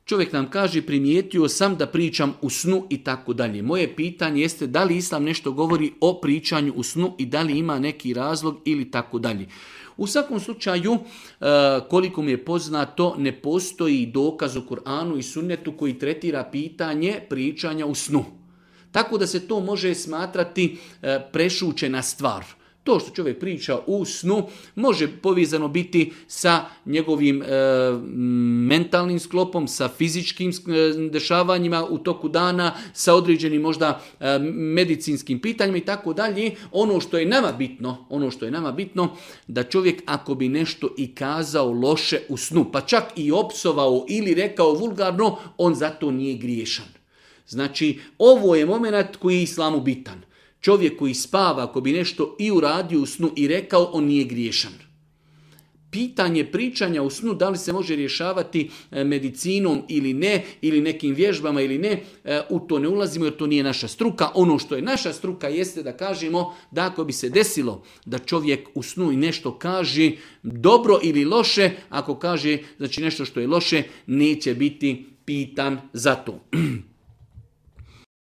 Čovjek nam kaže primijetio sam da pričam u snu i tako dalje. Moje pitanje jeste da li Islam nešto govori o pričanju u snu i da li ima neki razlog ili tako dalje. U svakom slučaju, koliko mi je poznato, ne postoji dokaz u Kur'anu i sunnetu koji tretira pitanje pričanja u snu. Tako da se to može smatrati prešućena stvar. To što čovjek priča u snu može povezano biti sa njegovim mentalnim sklopom, sa fizičkim dešavanjima u toku dana, sa određenim možda medicinskim pitanjima i tako dalje. Ono što je nama bitno, da čovjek ako bi nešto i kazao loše u snu, pa čak i opsovao ili rekao vulgarno, on zato nije griješan. Znači, ovo je moment koji je islamu bitan. Čovjek koji spava, ako bi nešto i uradio u snu i rekao, on nije griješan. Pitanje pričanja u snu, da li se može rješavati medicinom ili ne, ili nekim vježbama ili ne, u to ne ulazimo jer to nije naša struka. Ono što je naša struka jeste da kažemo da ako bi se desilo da čovjek u snu i nešto kaže dobro ili loše, ako kaže znači nešto što je loše, neće biti pitan za to.